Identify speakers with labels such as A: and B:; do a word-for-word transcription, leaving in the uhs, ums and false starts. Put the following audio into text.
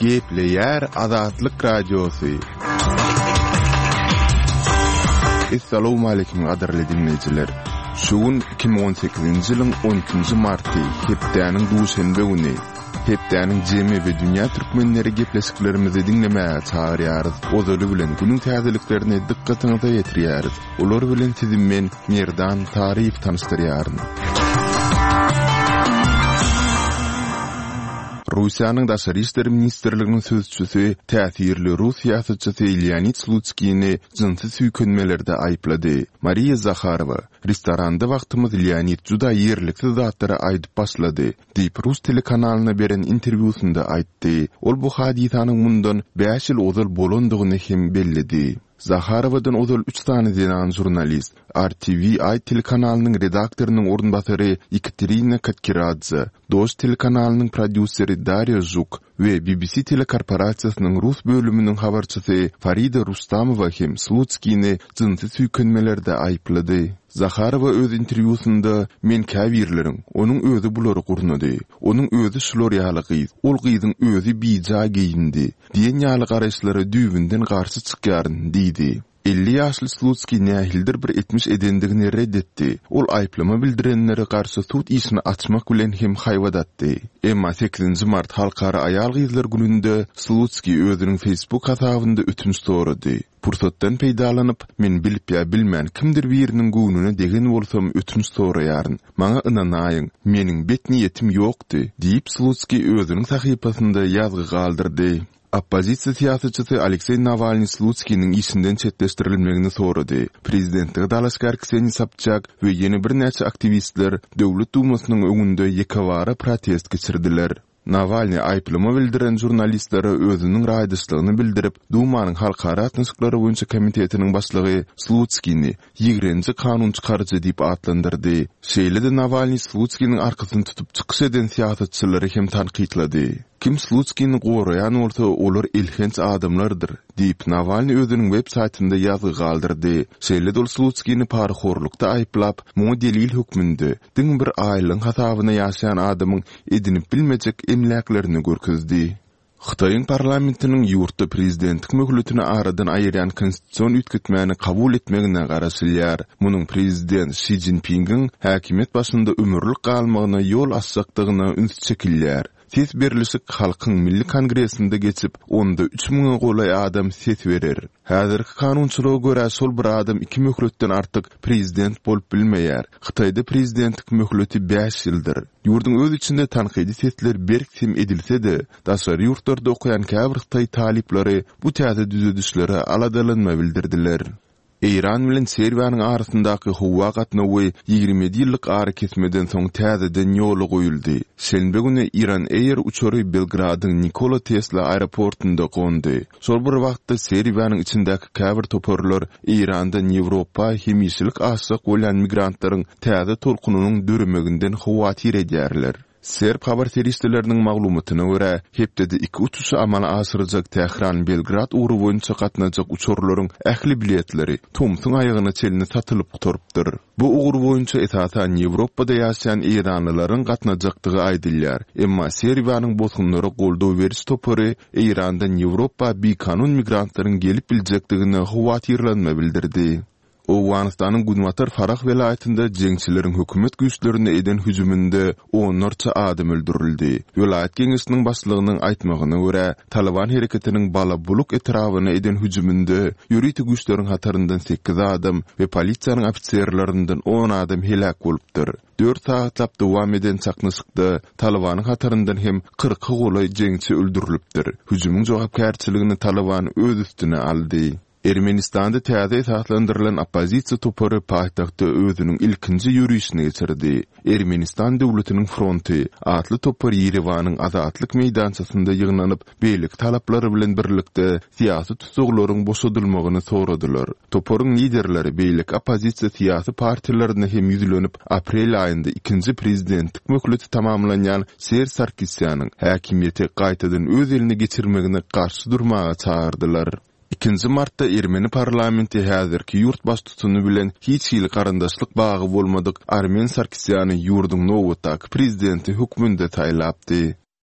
A: Gepleýär Azatlyk Radiosy. Essalawmaleýkim gadyrly diňleýjiler. Şu gün iki müň on sekizinji ýylyň on ikinji marty, hepdäniň duşenbe güni. Hepdäniň jemi we dünýä türkmenleri gepleşiklerimizi diňlemäge çagyrýarys. Ozaly bilen günüň täzeliklerini dykgatyňyza ýetirýäris. Olar bilen sizi men, Merdan Taryýew tanyşdyrýaryn. Russiýanyň Daşary işler ministrliginiň sözçüsi täsirli rus syýasatçysy Leonid Slutskini jynsy süýkenmelerde aýyplady. Mariýa Zaharowa, Restoranda wagtymyz Leonid juda ýerliksiz zatlary aýdyp başlady, diýip, rus telekanalyna beren interwýusynda aýtdy. Ol bu hadysanyň mundan bäş ýyl ozal bolandygyny hem belledi. Zaharowadan ozal üç sany zenan žurnalist, R T V I telekanalynyň redaktorynyň orunbasary Ýekaterina Katkiradze, Dožd telekanalynyň prodýuseri Darýa Žuk we B B C telekorporasiýasynyň rus bölüminiň habarçysy Farida Rustamowa hem Slutskini jynsy süýkenmelerde aýyplady. Zaharowa öz interwýusynda Men käbirleriň, onuň özi bulary gurnady, onuň özi şular ýaly gyz, ol gyzyň özi bijaý geýindi diýen ýaly garaýyşlara düýbünden garşy çykýaryn diýdi. Elli ýaşly Slutskiý nähilidir bir etmiş edendigini red etdi. Ol aýyplama bildirenlere garşy sud işini açmak bilen hem haýbat atdy. Emma sekizinji mart Halkara aýal-gyzlar gününde Slutskiý özüniň Facebook hasabynda ötünç sorady. Pursatdan peýdalanyp, men bilip ýa bilmän kimdir biriniň göwnüne degen bolsam ötünç soraýaryn. Maňa ynanaýyň, meniň bet niýetim ýokdy, diýip Slutskiý özüniň sahypasynda ýazgy galdyrdy. Oppozisiýa syýasatçysy Alekseý Nawalnyý Slutskiniň işinden çetleşdirilmegini sorady. Prezidentlige dalaşgär Kseniýa Sobçak we ýene birnäçe aktiwistler Döwlet Dumasynyň öňünde ýekebara protest geçirdiler. Nawalnyý aýyplama bildiren žurnalistlere özüniň raýdaşlygyny bildirip, Dumanyň halkara gatnaşyklary boýunça komitetiniň başlygy Slutskini ýigrenji kanun çykaryjy diýip atlandyrdy. Şeýle-de Nawalnyý Slutskiniň arkasyny tutup çykyş eden syýasatçylary hem tankytlady. Kim Slutskini goraýan bolsa, olar elhenç adamlardyr, diýip Nawalnyý özüniň web saýtynda ýazgy galdyrdy. Şeýle-de ol Slutskini parahorlukda aýyplap, muňa delil hökmünde diňe bir aýlygyň hasabyna ýaşaýan adamyň edinip bilmejek emläklerini görkezdi. Hytaýyň parlamentiniň ýurtda prezidentlik möhletini aradan aýyrýan konstitusion üýtgetmäni kabul etmegine garaşylýar. Munuň prezident Şi Jinpingiň häkimiýet başynda ömürlik galmagyna ýol açjakdygyna üns çekilýär. Ses berlişik Halkyň Milli Kongresinde geçip, onda üç müňe golaý adam ses berer. Häzirki kanunçylyga görä şol bir adam iki möhletden artyk prezident bolup bilmeýär. Hytaýda prezidentlik möhleti bäş ýyldyr. Ýurduň öz içinde tankydy sesler berk sem edilse-de, daşary ýurtlarda okaýan käbir Hytaý talyplary bu täze düzedişlere aladalanma bildirdiler. Eýran bilen Serbiýanyň arasyndaky howa gatnawy ýigrimi ýedi ýyllyk ara kesmeden soň täzeden ýola goýuldy. Şenbe güni Iran Air uçary Belgradyň Nikola Tesla aeroportunda gondy. Şol bir wagtda Serbiýanyň içindäki käbir toparlar Eýrandan Ýewropa hemişelik aşjak bolýan migrantlaryň täze tolkunynyň döremeginden howatyr edýärler. Serb habar serişdeleriniň maglumatyna görä, hepdede iki uçuşy amala aşyrjak Tähran-Belgrad ugry boýunça gatnajak uçarlaryň ähli biletleri tomsuň aýagyna çenli satylyp gutarypdyr. Bu ugur boýunça esasan Ýewropada ýaşaýan eýranlylaryň gatnajakdygy aýdylýar. Emma Serbiýanyň bosgunlara goldaw beriş topary Eýrandan Ýewropa bikanun migrantlaryň gelip biljekdigine howatyrlanma bildirdi. Owganystanyň Günbatar Farah welaýatynda jeňçileriň hökümet güýçlerine eden hüjüminde onlarça adam öldürildi. Welaýat geňeşiniň başlygynyň aýtmagyna görä, Taliban hereketiniň Balabuluk etrabyna eden hüjüminde ýörite güýçleriň hataryndan sekiz adam we polisiýanyň ofiserlerinden on adam heläk bolupdyr. Dört sagatlap dowam eden çaknyşykda Talibanyň hataryndan hem kyrka golaý jeňçi öldürilipdir. Hüjümiň jogapkärçiligini Taliban öz üstüne aldy. Ermenistanda täze esaslandyrylan oppozisiýa topary paýtagtda özüniň ilkinji ýörişini geçirdi. Ermenistan döwletiniň fronty atly topar Ýerewanyň Azatlyk meýdançasynda ýygnanyp, beýleki talaplary bilen birlikde syýasy tussaglaryň boşadylmagyny soradylar. Toparyň liderleri beýleki oppozisiýa syýasy partiýalaryna hem ýüzlenip, aprel aýynda ikinji prezidentlik möhleti tamamlanýan Serj Sarkisýanyň häkimiýeti gaýtadan öz eline geçirmegine garşy durmaga çagyrdylar. Ikinji martda Ermeni parlamenti häzirki ýurt baştutany bilen hiç hili garyndaşlyk bagy bolmadyk Armen Sarkisýany ýurduň nobatdaky prezidenti hökmünde saýlapdy.